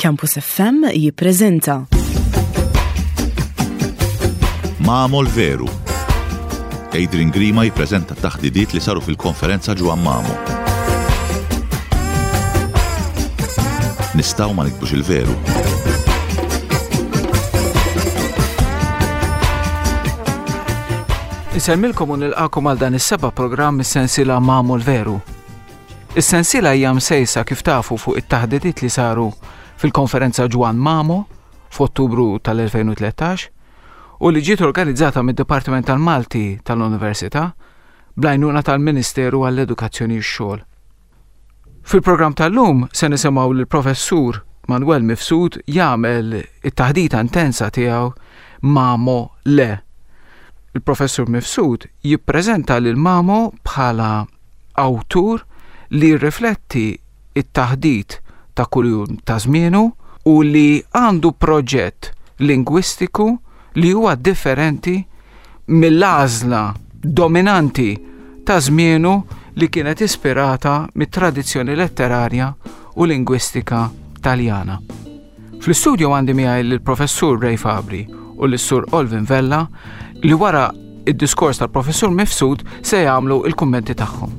Campus FM jippreżenta. Mamo l-Veru. Adrian Grima jippreżenta t-taħdidiet li saru fil-konferenza Ġwann Mamo. Nistgħu ma nikbux il-veru. Insellmilkom u nilqakom għal dan is-seba' programm mis-sensiela Mamo l-Veru. Is-sensiela hija msejsa kif tafu fuq it-taħdidiet li saru fil-konferenza Ġwann Mamo f'Ottubru tal-2013 u li ġiet organizzata mid-Dipartiment tal-Malti tal-Università bl-għajnuna tal-Ministeru għall-Edukazzjoni u x-Xogħol. Fil-programm tal-lum se nisimgħu lill-Professur Manuel Mifsud jagħmel it-taħdita intensa tiegħu Mamo Le. Il-Professur Mifsud jippreżenta lil Mamo bħala awtur li jirrifletti t-taħdit ta' kuljum ta' żmienu u li għandu proġett lingwistiku li huwa differenti mill-għażla dominanti ta' żmienu li kienet ispirata mit-tradizzjoni letterarja u lingwistika Taljana. Fl-istudio għandi miegħi lill-Professur Ray Fabri u lis-Sur Olvin Vella li wara id-diskors tal-Professur Mifsud se jagħmlu il-kummenti tagħhom.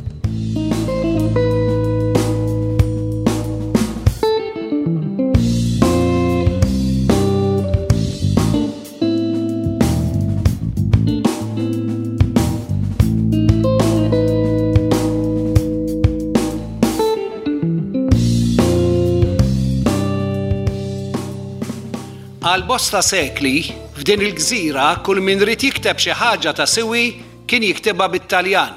Għal bosta sekli, f'din il-gżira kull min ried jikteb xi ħaġa ta' siwi kien jiktibha bit-Taljan.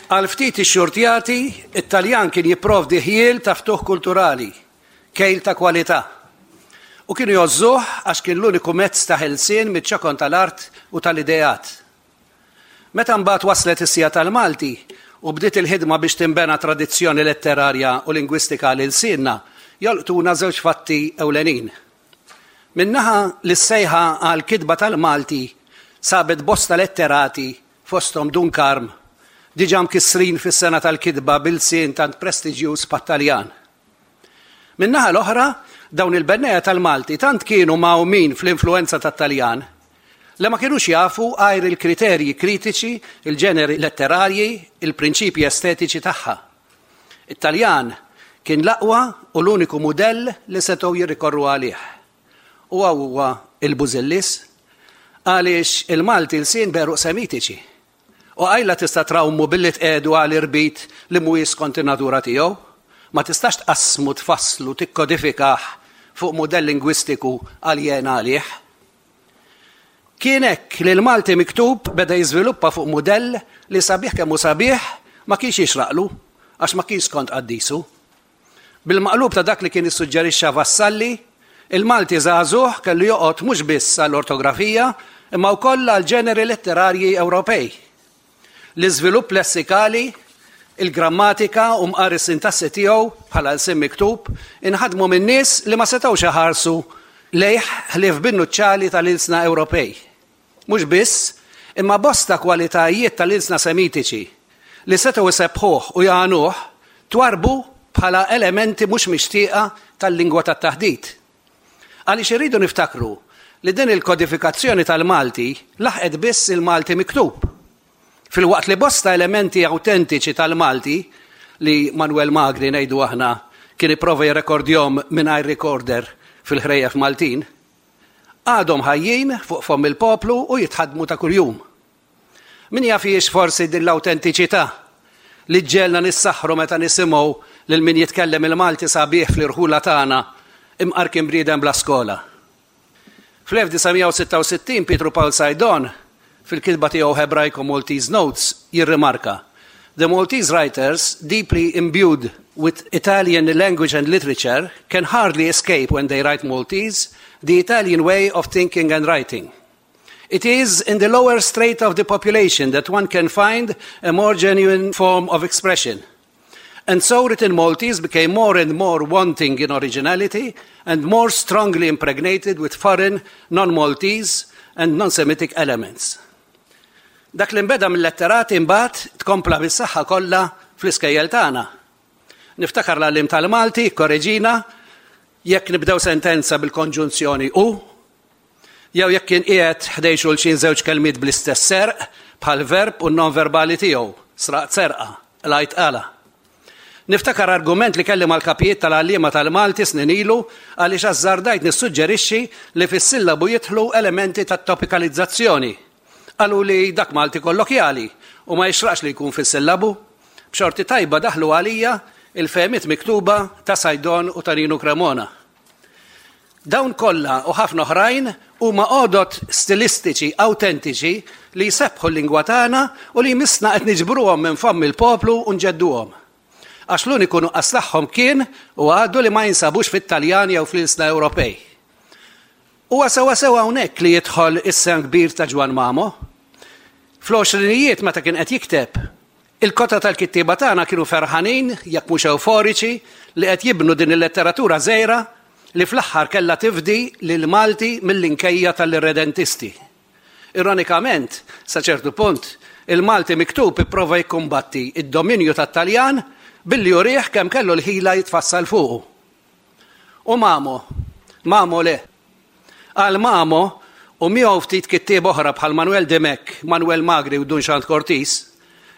Għal ftit ixxurtjati, it-Taljan kien jipprovdi ħjiel ta' ftuħ kulturali, kejl ta' kwalità. U kienu jgħożżuh għax kien l-uniku mezz ta' ħelsien miċ-ċokon tal-art u tal-ideat. Meta mbagħad waslet is-siegħa tal-Malti u bdiet il-ħidma biex tinbena tradizzjoni letterarja u lingwistika għal ilsienna, jolqtuna żewġ fatti ewlenin. Minn naħa li s-sejħa għall-kitba tal-Malti sabet bosta letterati, fosthom Dun Karm, diġà mkissrin fis-sengħa tal-kitba b'ilsien tant prestiġjuż bħat-Taljan. Min-naħa l-oħra, dawn il-bennejja tal-Malti tant kienu mgħawmin fl-influwenza tat-Taljan li ma kinux jafu għajr il-kriterji kritiċi, il-ġeneri letterarji, il-prinċipji estetiċi tagħha. It-Taljan kien l-aqwa u l-uniku mudell li setgħu jirrikorru għalih. U hawn huwa l-bużillis, għaliex il-Malti lsien b'għeruq Semitiċi. U qajla tista' trawmu billi tqiegħdu għal irbit li mhuwiex skont in-natura tiegħu. Ma tistax tqassmu, tfasslu, tikkodifikah fuq mudell lingwistiku aljen għalih. Kien hekk li l-Malti miktub beda jiżviluppa fuq mudell li sabiħ kemm hu sabiħ ma kienx jixraqlu għax ma kienx skont qaddisu. Bil-maqlub ta' dak li kien issuġġerixxa Vassalli, il-Malti żagħżugħ kellu joqgħod mhux biss għall-ortografija imma wkoll għall-ġeneri letterarji Ewropej. L-iżvilupp lessikali, il-grammatika u mqar is-sintassi tiegħu bħala lsien miktub inħadmu minn nies li ma setgħux iħarsu lejh ħlief bin-nuċċali tal-ilsna Ewropej. Mhux biss, imma bosta kwalitajiet tal-ilsna Semitiċi li setgħu jsebbħuh u jagħnuh twarrbu bħala elementi mhux mixtieqa tal-lingwa tat-taħdit. Għaliex irridu niftakru li din il-kodifikazzjoni tal-Malti laħqet biss il-Malti miktub, filwaqt li bosta elementi awtentiċi tal-Malti, li Manuel Magri, ngħidu aħna, kien ipprova jirrekordjhom mingħajr recorder fil-ħrejjef Maltin, Għadhom ħajjin fuq fomm il-poplu u jitħaddmu ta' kuljum. Min jaf hijiex forsi din l-awtentiċità li ġġegħelna nissaħħru meta nisimgħu lil min jitkellem il-Malti sabiħ fl-irħula tagħna imqar kien bniedem bla skola. Fl-1966 Pietru Pawl Saydon, fil-kitba tiegħu Hebraico Maltese Notes, jirrimarka, The Maltese writers, deeply imbued with Italian language and literature, can hardly escape when they write Maltese the Italian way of thinking and writing. It is in the lower strata of the population that one can find a more genuine form of expression. And so written Maltese became more and more wanting in originality and more strongly impregnated with foreign, non-Maltese and non-Semitic elements. Dak li nbeda mill-letterati mbagħad tkompla bis-saħħa kollha fl-iskejjel tagħna. Niftakar l-għalliem tal-Malti jikkoreġina. Jekk nibdew sentenza bil-konġunzjoni u, jew jekk kien qiegħed ħdejn xulxin żewġ kelmiet bl-istess serq, bħall-verb u n-nonverbali tiegħu, sraqt serqa, qlajt qala. Niftakar argument li kelli mal-kapijiet tal-għalliema tal-Malti snin ilu għaliex ażżardajt nissuġġerixxi li fis-sillabu jidħlu elementi ta' topikalizzazzjoni. Qaluli dak Malti kollokjali u ma jixraqx li jkun fis-sillabu. B'xorti tajba daħlu għalija il-fehmiet miktuba ta' Saydon u ta' Ninu Cremona. Dawn kollha u ħafna oħrajn huma għodod stilistiċi awtentiċi li jsebbħu l-lingwa tagħna u li jmissna qed niġbruhom minn fomm il-poplu u nġedduhom. Għax l-uniku nuqqas tagħhom kien u għadu li ma jinsabux fit-Taljan jew fl-ilsna Ewropej. Huwa sewwasew hawnhekk li jidħol is-sehem kbir ta' Ġwann Mamo. Fl-għoxrinijiet meta kien qed jikteb, Il-kotra tal-kittieba tagħna kienu ferħanin, jekk mhux ewforiċi, li qed jibnu din il-letteratura żgħira li fl-aħħar kellha tifdi lill-Malti mill-inkejja tal-irredentisti. Ironikament, sa ċertu punt, il-Malti miktub ipprova jikkumbatti d-dominju tat-Taljan billi urih kemm kellu l-ħila jitfassal fuqu. U Mamo? Mamo le. Għal Mamo, u miegħu ftit kittieba oħra bħal Manuel Dimech, Manuel Magri u Dun Xand Cortis,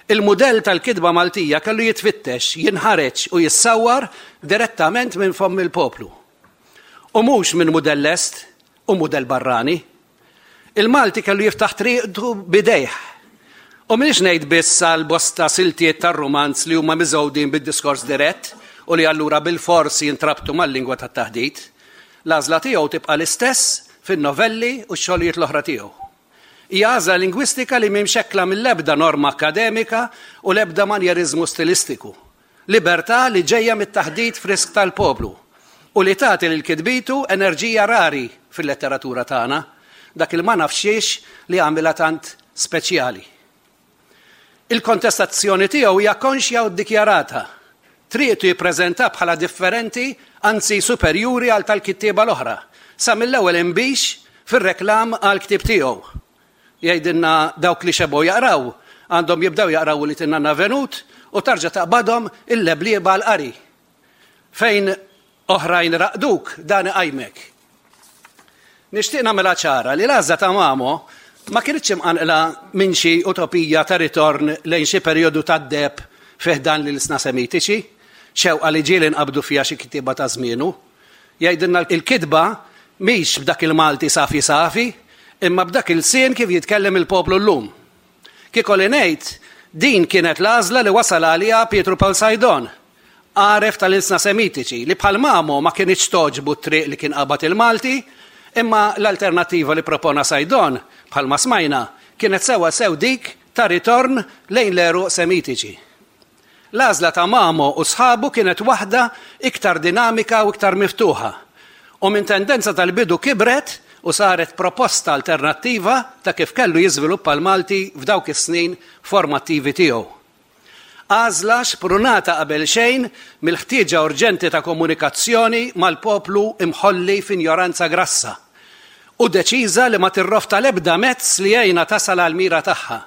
il-mudell tal-kitba Maltija kellu jitfittex, jinħareġ u jissawwar direttament minn fomm il-poplu. U mhux minn mudell lest u mudell barrani. Il-Malti kellu jiftaħ triqtu b'idejh. U m'iniex ngħid biss għal bosta siltiet tar-rumanz li huma miżgħudin bid-diskors dirett u li allura bilfors jintrabtu mal-lingwa tat-taħdit. L-għażla tiegħu tibqa' l-istess fin-novelli u x-xogħlijiet l-oħra tiegħu. Hija għażla lingwistika li mhi mxekkla mill-ebda norma akkademika u l-ebda manjeriżmu stilistiku. Libertà li ġejja mit-taħdit frisk tal-poplu u li tagħti lil kitbitu enerġija rari fil-letteratura tagħna, dak il ma nafx xiex li jagħmilha tant speċjali. Il-kontestazzjoni tiegħu hija konxja u ddikjarata. Triqtu jippreżenta bħala differenti, anzi superjuri għal tal-kittieba l-oħra, sa mill-ewwel inbix fir-reklam għall-ktieb tiegħu. Jgħidilna dawk li xebgħu jaqraw għandhom jibdew jaqraw Ulied in-Nanna Venut u tarġa' taqbadhom il-leblieba għall-qari. Fejn oħrajn raqduk, dan iqajmek. Nixtieq nagħmilha ċara li l-għażla ta' Mamo ma kinitx imqanqla minn xi utopija ta' ritorn lejn xi perjodu tad-deheb fi ħdan l-ilsna Semitiċi, xewqa li ġieli nqabdu fiha xi kittieba ta' żmienu. Jgħidilna l-kitba mhix b'dak il-Malti safi safi, imma b'dak ilsien kif jitkellem il-poplu llum. Kieku li ngħid, din kienet l-għażla li wasal għaliha Pietru Pawl Saydon, għaref tal-ilsna Semitiċi, li bħal Mamo ma kinitx togħġbu t-triq li kien qabad il-Malti, imma l-alternattiva li ppropona Saydon, bħalma smajna, kienet sewwasew dik ta' ritorn lejn l-għeruq Semitiċi. L-għażla ta' Mamo u sħabu kienet waħda iktar dinamika u iktar miftuħa, u minn tendenza tal-bidu kibret u saret proposta alternattiva ta' kif kellu jiżviluppa l-Malti f'dawk is-snin formattivi tiegħu. Għażla xprunata qabelxejn mill-ħtieġa urġenti ta' komunikazzjoni mal-poplu imħolli f'injoranza grassa, u deċiża li ma tirrofta l-ebda mezz li jgħinha tasal għall-mira tagħha.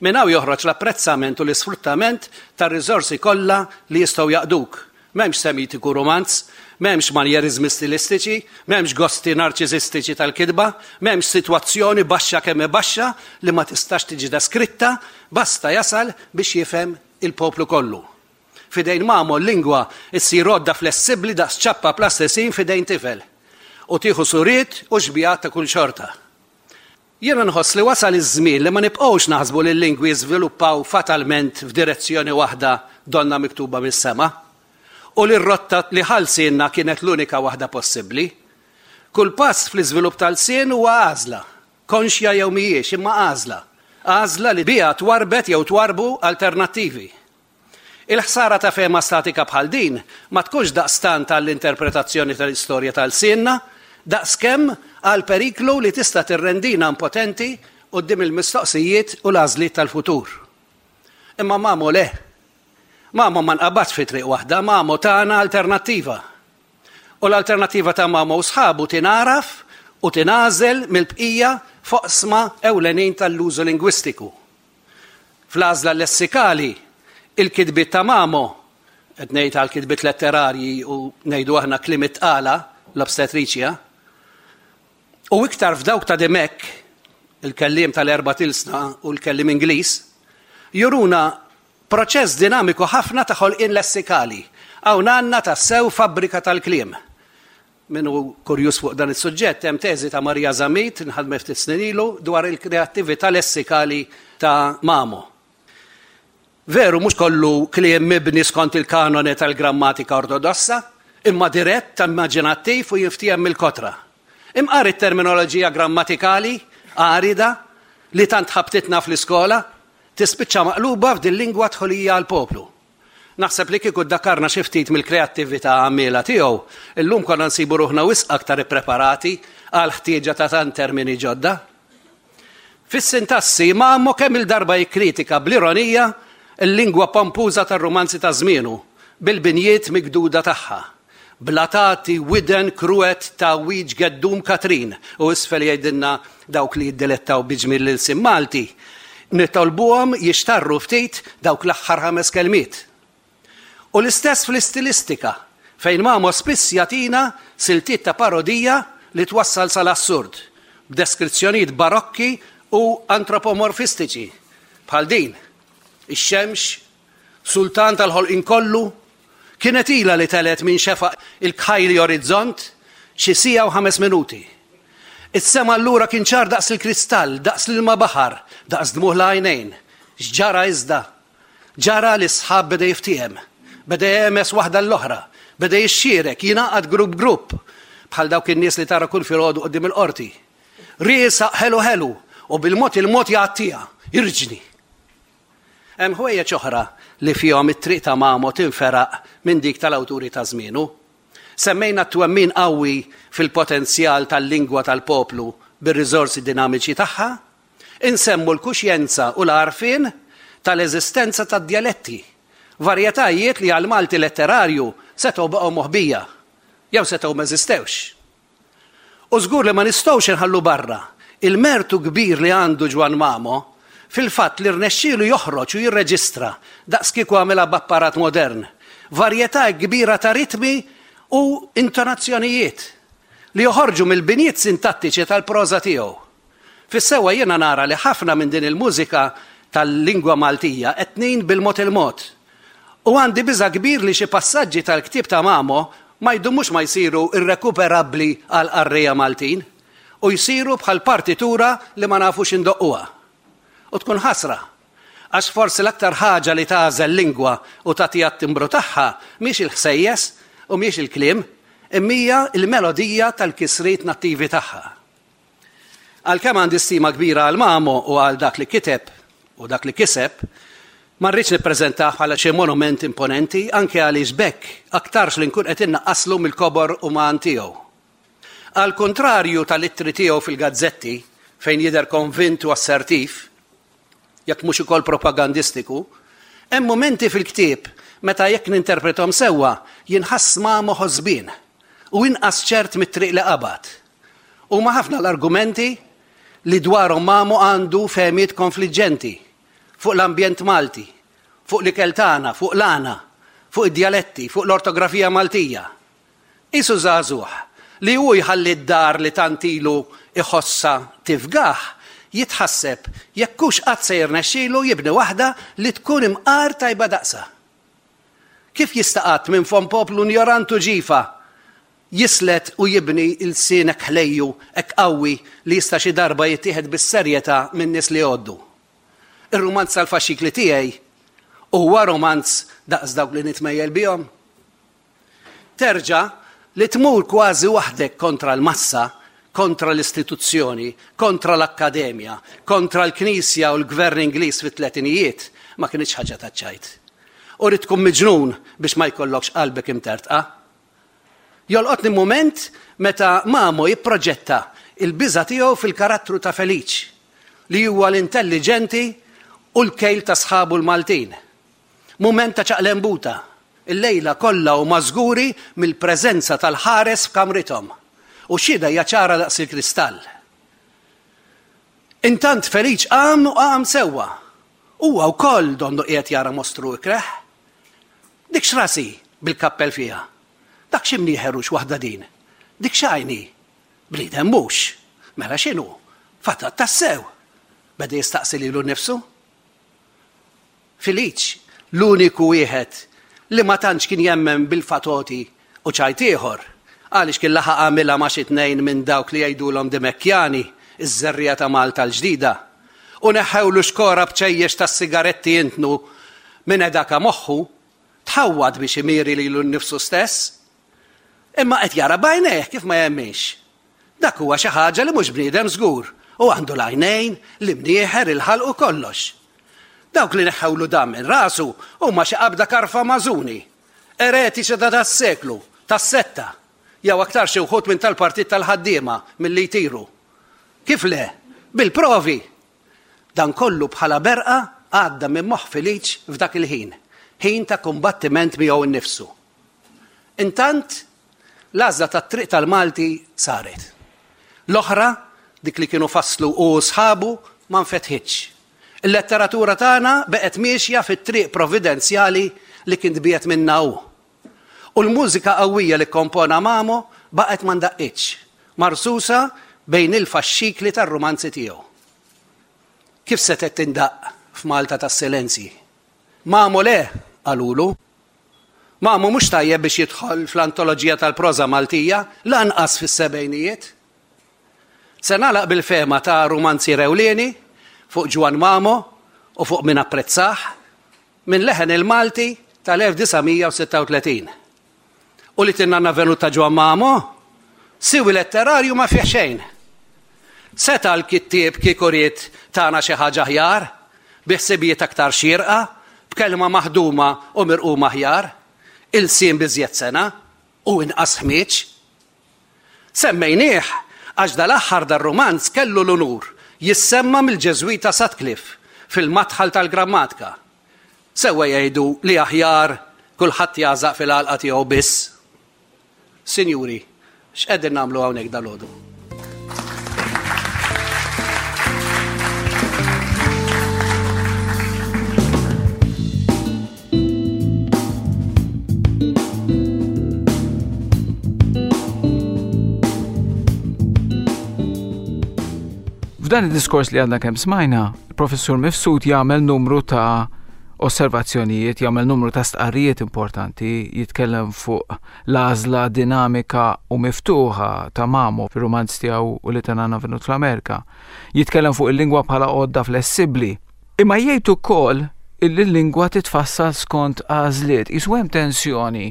Minn hawn joħroġ l-apprezzament u l-isfruttament tar-riżorsi kollha li jistgħu jaqduk. M'hemmx semitiku rumanz, m'hemmx manjeriżmi stilistiċi, m'hemmx gosti narċisistiċi tal-kitba, m'hemmx sitwazzjoni baxxa kemm hi baxxa li ma tistax tiġi deskritta, basta jasal biex jifhem il-poplu kollu. F'idejn Mamo l-lingwa ssir għodda flessibbli daqs ċappa plastisin f'idejn tifel, u tieħu suriet u xbigħat ta' kull xorta. Jiena nħoss li wasal iż-żmien li ma nibqgħux naħsbu li l-lingwi jiżviluppaw fatalment f'direzzjoni waħda donnha miktuba mis-sema, u li r-rotta li ħa lsienna kienet l-unika waħda possibbli. Kull pass fl-iżvilupp ta' lsien huwa għażla, konxja jew mhijiex, imma għażla. Għażla li biha twarrbet jew twarrbu alternattivi. Il-ħsara ta' fehma statika bħal din ma tkunx daqstant għall-interpretazzjoni tal-istorja ta' lsienna, daqskemm għall-periklu li tista' tirrendina impotenti quddiem il-mistoqsijiet u l-għażliet tal-futur. Imma Mamo le. Mamo ma nqabadx fi triq waħda, Mamo tana alternattiva. U l-alternattiva ta' Mamo u sħabu tingħaraf u tingħażel mill-bqija f'oqsma ewlenin tal-użu lingwistiku. Fl-għażla lessikali, il-kitbiet ta' Mamo qed ngħid għal kitbiet letterarji u ngħidu aħna kliem it-tqala, l-obstetriċja, u iktar f'dawk ta' Dimech, il-kelliem tal-erbat ilsna u l-kelliem Ingliż, juruna proċess dinamiku ħafna ta' ħolqien lessikali. Hawn għandna tassew fabbrika tal-kliem. Min hu kurjuż fuq dan is-suġġett, hemm teżi ta' Maria Zammit, nħadmet ftit snin ilu, dwar il-kreattività lessikali ta' Mamo. Veru mhux kollu kliem mibni skont il-kanone tal-grammatika ortodossa, imma dirett, immaġinattiv u jinftiehem mill-kotra. Imqar it-terminoloġija grammatikali arida li tant ħabtitna fl-iskola, tispiċċa maqluba f'dil-lingwa dħulija għall-poplu. Naħseb li kieku ddakarna xi ftit mill-kreattività għammiela tiegħu, illum konna nsibu ruħna wisq aktar ippreparati għall-ħtieġa ta' tant termini ġodda. Fis-sintassi, Mamo kemm-il darba jikkritika bl-ironija l-lingwa pompuża tar-rumanzi ta' żmienu, bil-binjiet migduda tagħha. Bla tagħti widen kruet tgħawwiġ geddum Katrin u isfel jgħidilna dawk li jiddilettaw bi ġmiel l-ilsien Malti, nitolbuhom jixtarru ftit dawk l-aħħar ħames kelmiet. U l-istess fl-istilistika, fejn Mamo spiss jagħtina siltiet ta' parodija li twassal sal-assurd, b'deskrizzjonijiet barokki u antropomorfistiċi, bħal din, Ix-xemx, sultan tal-ħolqien kollu, kienet ilha li telgħet minn xefaq il-kħajli orizzont xi siegħa u ħames minuti. Is-sema allura kien ċar daqs il-kristall, daqs l-ilma baħar, daqs dmugħ l-għajnejn. X'ġara iżda? Ġara li s-sħab beda jiftiehem, beda jehmeż waħda l-oħra, beda jixxierek, jingħaqad grupp grupp, bħal dawk in-nies li tara kull filgħodu quddiem il-qorti. Riesaq ħelu ħelu u bil-mod il-mod jgħattiha, irġni. Hemm ħwejjeġ oħra li fihom it-triq ta' Mamo tinferaq minn dik tal-awturi ta' żmienu. Semmejna t-twemmin qawwi fil-potenzjal tal-lingwa tal-poplu bir-riżorsi dinamiċi tagħha, Insemmu l-kuxjenza u l-għarfien tal-eżistenza tad-djaletti, varjetajiet li għall-Malti letterarju setgħu baqgħu moħbija, jew setgħu m'eżistewx. U żgur li ma nistgħux inħallu barra il-mertu kbir li għandu Ġwann Mamo fil-fatt li rnexxielu joħroġ u jirreġistra, daqskieku għamilha b'apparat modern, varjetà hekk kbira ta' ritmi u intonazzjonijiet li joħorġu mill-binjiet sintattiċi tal-proża tiegħu. Fis-sewwa jiena nara li ħafna minn din il-mużika tal-lingwa Maltija qed tnin bil-mod il-mod. U għandi biża' kbir li xi passaġġi tal-ktieb ta' Mamo ma jdumux ma jsiru irrekuperabbli għall-qarrejja Maltin u jsiru bħal partitura li ma nafux indoqquha. U tkun ħasra. Għax forsi l-aktar ħaġa li tagħżel lingwa u tagħtiha t-timbru tagħha mhix il-ħsejjes u mhijiex il-kliem, imma hija l-melodija tal-kisriet nattivi tagħha. Għalkemm għandi stima kbira għal Mamo u għal dak li kiteb u dak li kiseb, ma rridx nippreżentah bħala xi monument imponenti anke għaliex b'hekk aktarx li nkun qed innaqqaslu mill-kobor uman tiegħu. Għall-kuntrarju tal-ittri tiegħu fil-gazzetti, fejn jidher konvint u assertiv, jekk mhux ukoll propagandistiku, hemm mumenti fil-ktieb meta jekk ninterprethom sewwa jinħass Mamo ħosbien u inqas ċert mit-triq li qabad. Huma ħafna l-argumenti li dwarhom Mamo għandu fehmiet konfliġġenti fuq l-ambjent Malti, fuq l-ikel tagħna, fuq l-għana, fuq id-djaletti, fuq l-ortografija Maltija. Qisu żagħżugħ li hu jħalli d-dar li tant ilu jħossha tifgah, jitħasseb jekk hux qatt se jirnexxilu jibni waħda li tkun imqar tajba daqsha. Kif jista' qatt minn fomm poplu njorant u ġifa jislet u jibni lsien hekk ħlejju, hekk qawwi li jista' xi darba jittieħed bis-serjetà min-nies li jgħoddu? Ir-rumanz tal-faxxikli tiegħi huwa rumanz daqs dawk li nitmejjel bihom? Terġa' li tmur kważi waħdek kontra l-massa, kontra l-istituzzjoni, kontra l-akkademja, kontra l-Knisja u l-Gvern Ingliż fit-tletinijiet ma kinitx ħaġa taċ-ċajt. U ridt tkun miġnun biex ma jkollokx qalbek imtertqa. Jolqotni mument meta Mamo jipproġetta l-biża' tiegħu fil-karattru ta' Feliċ, li huwa l-intelliġenti u l-kejl ta' sħabu l-Maltin. Mument ta' ċaqlembuta. Illejla kollha huma żguri mill-preżenza tal-ħares f'kamrithom. U x-xhieda hija ċara daqs il-kristall. Intant Feliċ qam u qam sewwa. Huwa wkoll donnu qiegħed jara mostru ikreh. Dik x'ras hi bil-kappell fiha? Dak xi mnieħer hux waħda din? Dik x'għajn hi? Bniedem mhux. Mela x'inhu? Fatat tassew! Beda jistaqsi lilu nnifsu. Filiċ, l-uniku wieħed li ma tantx kien jemmen bil-fatoti u ċajt ieħor, għaliex kien laħaq għamilha ma' xi tnejn minn dawk li jgħidulhom Dimekjani, iż-żerriegħa ta' Malta l-ġdida, u neħħewlu xkora b'ċejjex tas-sigaretti jintnu minn edaka moħħu, tħawwad biex imieri lilu nnifsu stess. Imma qed jara b'għajnejh kif ma jemminx. Dak huwa xi ħaġa li mhux bniedem żgur, u għandu l-għajnejn, l-imnieħer, il-ħalq u kollox. Dawk li neħħewlu dan minn rasu huma xi qabda karfa mażuni, eretiċi ta' das-seklu, tas-setta, jew aktar xi wħud minn tal-Partit tal-Ħaddiema milli jtiru. Kif le? Bil-provi! Dan kollu bħala berqa għadda minn moħħ Feliċ f'dak il-ħin, ħin ta' kumbattiment miegħu nnifsu. Intant, l-għażla tat-triq tal-Malti saret. L-oħra, dik li kienu fasslu hu u sħabu, ma nfetħitx. Il-letteratura tagħna beqgħet miexja fit-triq providenzjali li kien tbiegħed minnha hu. U l-mużika qawwija li kkompona Mamo baqgħet ma ndaqqitx, marsusa bejn il-faxxikli tar-rumanzi tiegħu. Kif setgħet tindaqq f'Malta tas-silenzji? Mamo le, qalulu. Mamo mhux tajjeb biex jidħol fl-antoloġija tal-proża Maltija, lanqas fis-sebgħinijiet. Se nagħlaq bil-fehma ta' rumanzier ewlieni fuq Ġwann Mamo u fuq min apprezzah, minn Leħen il-Malti tal-1936. U li tinnanna venut ta' Ġwann Mamo? Siwi letterarju ma fih xejn. Seta' l-kittieb kieku ried tana xi ħaġa aħjar, bi ħsibijiet aktar xierqa, b'kelma maħduma u mirquma aħjar, ilsien b'iżjed sengħa, u inqas ħmieġ. Semmejnieh għax dal-aħħar dar-rumanz kellu l-unur jissemma mill-Ġeżwita Sutcliffe fil-madħal tal-grammatka. Sewwa jgħidu li aħjar kulħadd jagħżaq fil-għalqa tiegħu biss. Sinjuri, x'qegħdin nagħmlu hawnhekk dalgħodu? F'dan id-diskors li għadna kemm smajna, il-professur Mifsud jagħmel numru ta' osservazzjonijiet, jagħmel numru ta' stqarrijiet importanti, jitkellem fuq l-għażla dinamika u miftuħa ta' Mamo fir-rumanz tiegħu u li tanana venut fl-Amerika. Jitkellem fuq il-lingwa bħala għodda flessibbli Imma jgħid ukoll illi l-lingwa titfassal skont għażliet. Qisu hemm tensjoni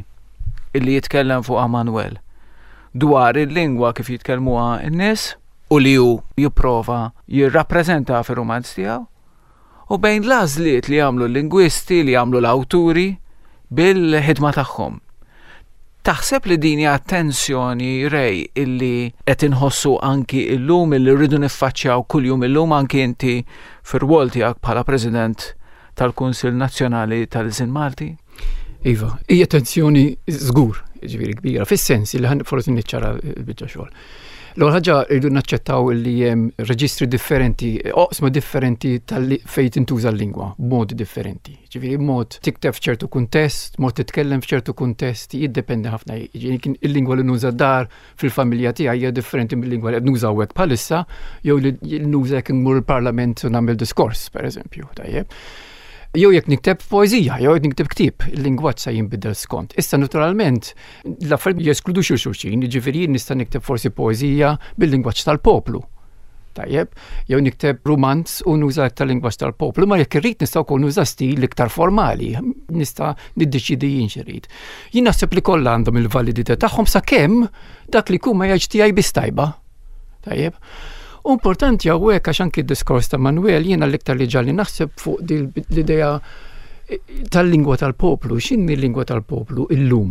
illi jitkellem fuqha Manuel dwar il-lingwa kif jitkellmuha n-nies u li hu jipprova jirrappreżenta fir-rumanz tiegħu u bejn l-għażliet li jagħmlu l-lingwisti, li jagħmlu l-awturi bil-ħidma tagħhom. Taħseb li din hija tensjoni Ray illi qed inħossu anki illum illi rridu niffaċċjaw kuljum illum anki inti fir-rwol tiegħek bħala President tal-Kunsill Nazzjonali tal-Ilsien Malti? Iva, hija tensjoni żgur, ġifieri kbira, fis-sens li ħan forsi niċċara l-biċċa xogħol. L-ewwel ħaġa rridu naċċettaw li hemm reġistri differenti, oqsma differenti fejn tintuża l-lingwa b'modi differenti. Ġifieri mod tikteb f'ċertu kuntest, mod titkellem f'ċertu kuntest, jiddependi ħafna. Jiġifieri il-lingwa li nuża dar fil-familja tiegħi hija differenti mill-lingwa li qed nuża hawnhekk bħalissa jew li nuża jekk immur il-parlament u nagħmel diskors, pereżempju, tajjeb. Jew jekk nikteb poeżija, jew jekk nikteb ktieb, il-lingwaġġ se jinbidel skont. Issa naturalment l-affarijiet jeskludux il xulxin, jiġifieri jien nista' nikteb forsi poeżija bil-lingwaġġ tal-poplu. Tajjeb, jew nikteb rumanz u nuża iktar lingwaġġ tal-poplu, ma jekk irrid nista' wkoll nuża stil iktar formali, nista' niddeċidi jien x'irid. Jien naħseb li kollha għandhom il-validità tagħhom sakemm dak li jkun ma jgħidx tiegħi biss tajba. Tajjeb. U importanti hawnhekk għax anki d-diskors ta' Manuel jiena l-iktar li ġalli naħseb fuq l-idea eh, tal-lingwa tal-poplu, x'inhi l-lingwa tal-poplu illum?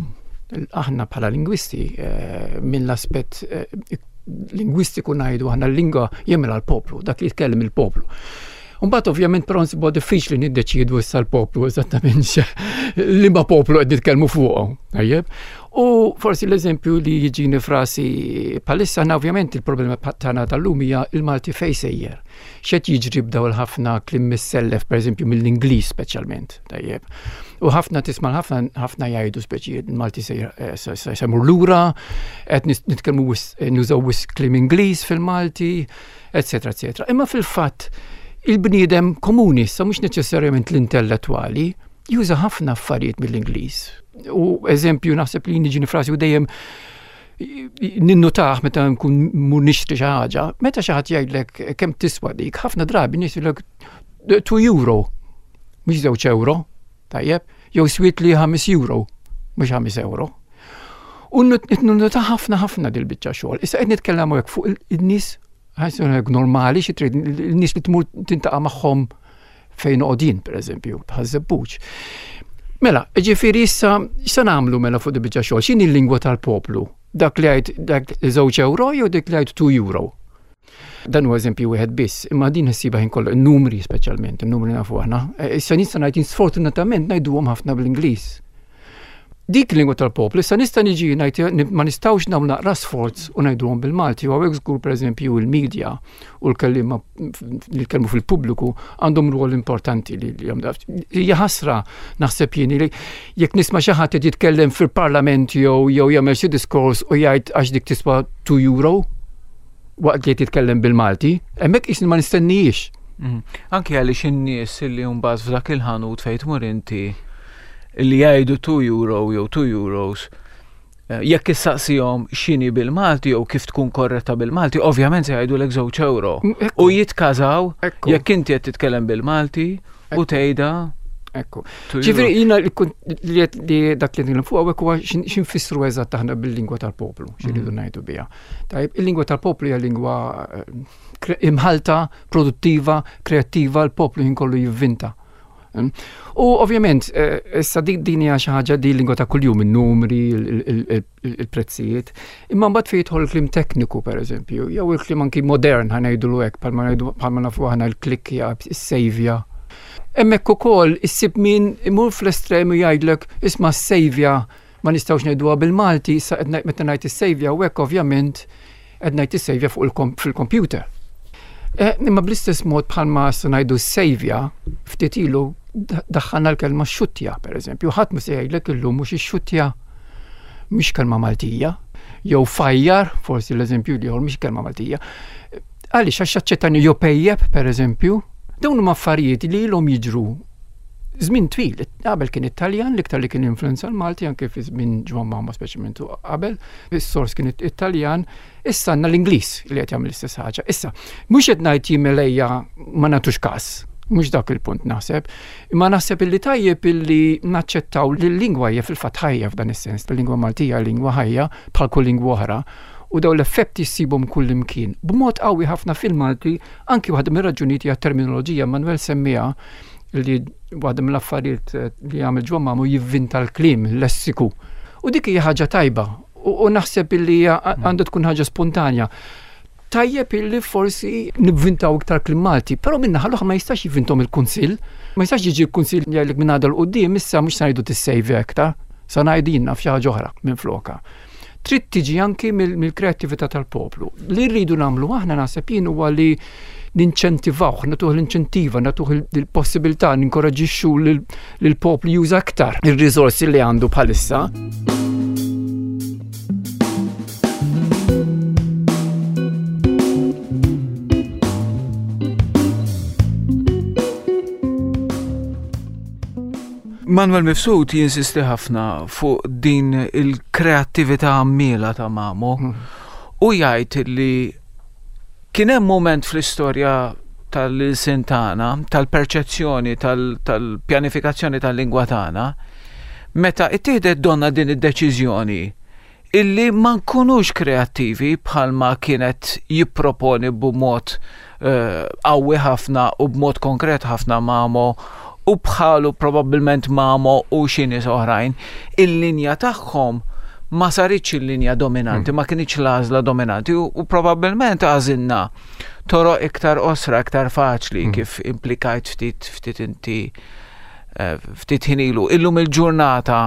Aħna bħala lingwisti eh, mill-aspett eh, lingwistiku ngħidu aħna l-lingwa jemel għall-poplu, dak li jitkellem il-poplu. Mbagħad ovvjament però nsibu diffiċli niddeċiedu issa l-poplu eżattament li ma poplu qed nitkellmu fuqu. Tajjeb. U forsi l-eżempju li jiġini frasi palissa għandna ovvjament il-problema tagħna tal-lum hija il-Malti fejn sejjer. X'qed jiġri b'daw il-ħafna kliem missellef pereżempju mill-Ingliż speċjalment, tajjeb. U ħafna tisma' ħafna ħafna jgħidu speċi il-Malti eh, se jmur lura, qed nitkellmu eh, nużaw wisq kliem Ingliż fil-Malti, eċetera, eċetera. Imma fil-fatt il-bniedem komuni, sa mhux neċessarjament l-intellettwali, juża ħafna affarijiet mill-Ingliż. U eżempju naħseb li niġi frasi u dejjem ninnutaħ meta nkun mur nixtri xi ħaġa, meta xi ħadd jgħidlek kemm tiswa dik, ħafna drabi nies jgħidlek 2 euro, mhux żewġ euro, tajjeb, jew swiet li 5 euro, mhux 5 euro. U ninnutaħ ħafna ħafna dil-biċċa xogħol. Issa qed nitkellem hekk fuq in-nies normali xi trid in-nies li tmur tintaqa' magħhom fejn noqgħod jien, pereżempju, bħaż-żebbuġ. Mela, ġifieri issa x'se nagħmlu mela fuq di biċċa xogħol? X'inhi l-lingwa tal-poplu? Dak li għid dak żewġ euro jew dik li għid 2 euro? Dan huwa eżempju wieħed biss, imma din issibha ħin kollu, numri speċjalment, in-numri nafu aħna. E, issa nista' ngħid sfortunatament ngħiduhom ħafna bl-Ingliż. Dik lingwa tal-poplu, issa nista' niġi ngħid ma nistgħux nagħmlu naqra sforz u ngħiduhom bil-Malti, u hawnhekk żgur pereżempju il-media u l-kelliema li jitkellmu fil-pubbliku għandhom rwol importanti li hija ħasra naħseb jien li jekk nisma' xi ħadd qed jitkellem fil-parlament jew jew jagħmel xi diskors u jgħid għax dik tiswa 2 euro waqt li qed jitkellem bil-Malti, hemmhekk qisni ma nistennijiex. Mm. Anke għaliex in-nies li mbagħad f'dak il-ħanut fejn tmur inti li jgħidu 2 euro jew 2 euros, eh, jekk issaqsihom x'inhi bil-Malti jew kif tkun korretta bil-Malti, ovvjament se jgħidulek żewġ euro. Mm, u jitkażaw jekk inti qed titkellem bil-Malti u tgħidha Ekku. Ġifieri jiena li dak li nitkellem fuq hawnhekk huwa x'infissru eżatt aħna bil-lingwa tal-poplu, x'iridu mm. ngħidu biha. Tajjeb, il-lingwa tal-poplu hija lingwa eh, imħalta, produttiva, kreattiva, l-poplu jien kollu jivvinta. U ovvjament, eh, issa din hija xi ħaġa di lingwa ta' kuljum, in-numri, il-prezzijiet. Imma mbagħad fejn jidħol il-kliem tekniku pereżempju, jew il-kliem anki modern ħa ngħidulu hekk bħalma nafu aħna l-klikkja, is-sejvja. Hemmhekk ukoll issib min imur fl-estrem u jgħidlek isma' s-sejvja ma nistgħux ngħiduha bil-Malti, issa qed meta ngħid is-sejvja u hekk ovvjament qed ngħid is-sejvja fuq fil-computer. Eh, imma bl-istess mod bħalma se ngħidu s-sejvja, ftit ilu daħħalna l-kelma xuttja, pereżempju, ħadd ma se jgħidlek illum mhux ix-xuttja mhix kelma Maltija, jew fajjar, forsi l-eżempju li mhix kelma Maltija. Għaliex għax aċċettani jew pejjeb, pereżempju, dawn huma affarijiet li ilhom jiġru żmien twil. Qabel kien Italjan, l-iktar li kien influenza l-Malti anke fi żmien Ġwann Mamo speċjalment qabel, is-sors kien Italjan, issa għandna l-Ingliż li qed jagħmel l-istess ħaġa. Issa, mhux qed ngħid jien ma nagħtux każ, mhux dak il-punt naħseb, imma naħseb illi tajjeb illi naċċettaw li l-lingwa hija fil-fatt ħajja f'dan is-sens, l-lingwa Maltija lingwa ħajja bħal kull lingwa oħra u daw l-effetti ssibhom kull imkien. B'mod qawwi ħafna fil-Malti, anki waħda mir-raġunijiet hija terminoloġija Manuel semmiha li waħda mill-affarijiet eh, li għamel Ġwann Mamo jivvinta l-kliem, l-lessiku. U dik hija ħaġa tajba u naħseb illi għandha tkun ħaġa spontanja. Tajjeb illi forsi nivvintaw iktar kliem Malti, però minna ħalluħ ma jistax jivvintom il-kunsill, ma jistax jiġi l-kunsill jgħidlek minn għadha l-qudiem issa mhux se ngħidu tissejvi aktar, sa ngħidilna f'xi ħaġa oħra minn floka. Trid tiġi anki mill-kreattività tal-poplu. Li rridu nagħmlu aħna naħseb jien huwa li ninċentivawh, nagħtuh l-inċentiva, nagħtuh il-possibilità, ninkoraġixxu lill-poplu juża aktar ir-riżorsi li għandu bħalissa. Manuel Mifsud jinsisti ħafna fuq din il-kreattività għammiela ta' Mamo hmm. u jgħid li kien hemm mument fl-istorja tal-ilsien tagħna, tal-perċezzjoni, tal-pjanifikazzjoni tal-lingwa tagħna, meta ittieħdet donna din id-deċiżjoni illi ma nkunux kreattivi bħalma kienet jipproponi b'mod eh, qawwi ħafna u b'mod konkret ħafna Mamo u bħalu probabbilment Mamo u xi nies oħrajn, il-linja tagħhom ma saritx il-linja dominanti, hmm. ma kinitx l-għażla dominanti u probabbilment għażilna toroq iktar osra, iktar faċli hmm. kif implikajt ftit ftit inti eh, ftit ħin ilu. Illum il-ġurnata.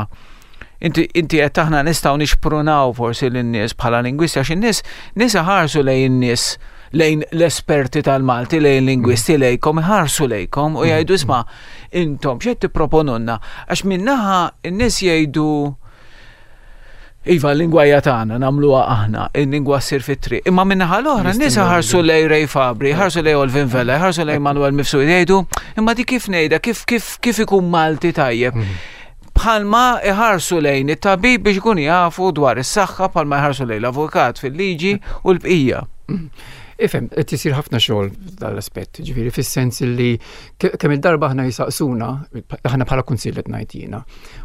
Inti inti qed aħna nistgħu nixprunaw forsi lin-nies bħala lingwisti għax in-nies nies iħarsu lejn in-nies lejn l-esperti tal-Malti, lejn lingwisti mm. lejkom, iħarsu lejkom u mm. jgħidu isma' intom x'qed tipproponunna għax minnaħa n-nies jgħidu Iva, l-lingwa hija tagħna, nagħmluha aħna, il-lingwa ssir fit-triq. Imma min-naħa l-oħra, n-nies ħarsu lej Ray Fabri, ħarsu lej Olvin Vella, ħarsu lej Manuel Mifsud, jgħidu, imma di kif ngħidha, kif kif kif ikun Malti tajjeb. Mm. Bħalma iħarsu lejn it-tabib biex ikun jafu dwar is-saħħa, bħalma iħarsu lejn l-avukat fil-liġi u l-bqija. Mm. Ifhem, qed isir ħafna xogħol dal-aspett, ġifieri fis-sens li kemm il-darba aħna jisaqsuna, aħna bħala kunsill qed ngħid jiena,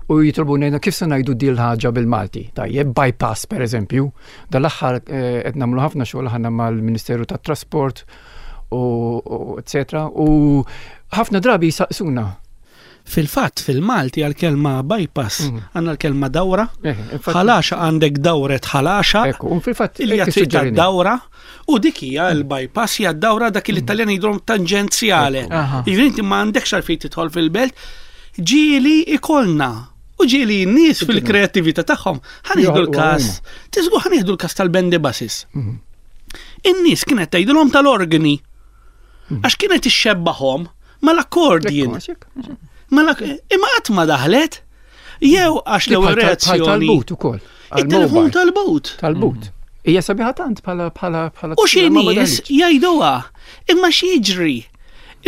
u jitolbuna jgħidna kif se ngħidu din l-ħaġa bil-Malti. Tajjeb, bypass pereżempju, dal-aħħar eh, qed nagħmlu ħafna xogħol aħna mal-Ministeru tat-Trasport u eccetera, u ħafna drabi jisaqsuna Fil-fatt, fil-Malti għal-kelma bypass mm. għandna l-kelma dawra. Eh, ħalaxa għandek dawret ħalaxa. Il triq dawra u dik hija mm. l-bypass hija dawra dak li mm. l-Italjan jidhom tanġenzjale. Jiġifieri inti ma għandekx għalfejn tidħol fil-belt. Ġieli ikolna u ġieli n-nies fil-kreattività tagħhom ħanieħdu l-każ. Tiżgu ħanieħdu l-każ tal-bendi buses. Mm-hmm. In-nies kienet tgħidilhom tal-organi. Għax kienet ixxebbahom Mal-accordion. Imma qatt ma daħlet. Jew għax l-ewwel reazzjoni. Tal-but ukoll. Il-telefon tal-but. Tal-but. Mm. Hija sabiħa tant bħala bħala bħala. U xi nies jgħiduha. Imma x'jiġri?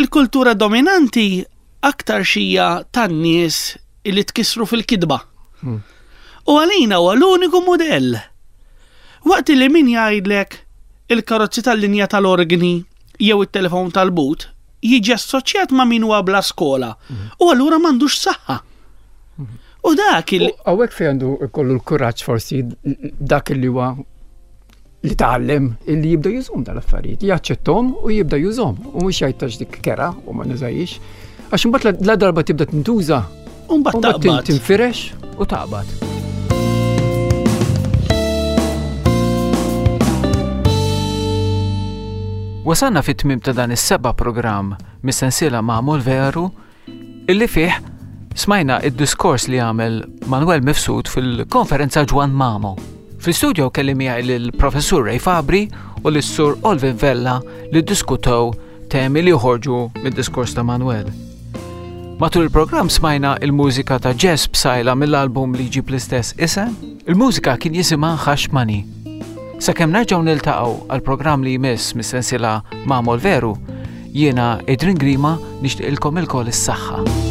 Il-kultura dominanti aktar xija tan-nies li tkissru fil-kidba. Mm. U għalina huwa l-uniku mudell. Waqt li min jgħidlek il-karozzi tal-linja tal-organi jew it-telefon tal-but jiġi assoċjat ma' min huwa bla skola u allura m'għandux saħħa. U dak il. Hawnhekk fejn għandu kollu l-kuraġġ forsi dak li huwa li tgħallem illi jibda jużhom dal-affarijiet, jaċċettom u jibda jużhom u mhux jgħid tax dik kera u ma nużajix. Għax imbagħad la darba tibda tintuża, u mbagħad tinfirex u taqbad. Wasalna fit-tmiem ta' dan is-seba' programm mis-sensiela Magħmul Veru illi fih smajna id-diskors li għamel Manuel Mifsud fil-konferenza Ġwan Mamo. Fl-istudio kelli miegħi lill-Professur Ray Fabri u lis-Sur Olvin Vella li ddiskutew temi li joħorġu mid-diskors ta' Manuel. Matul il-programm smajna il-mużika ta' Jess Psaila mill-album li jġib l-istess isem. Il-mużika kien jisimha Hush Money. Sakemm nerġgħu niltaqgħu għal programm li jmiss mis-sensiela Mamol Veru, jiena Adrian Grima nixtieqilkom ilkoll is-saħħa.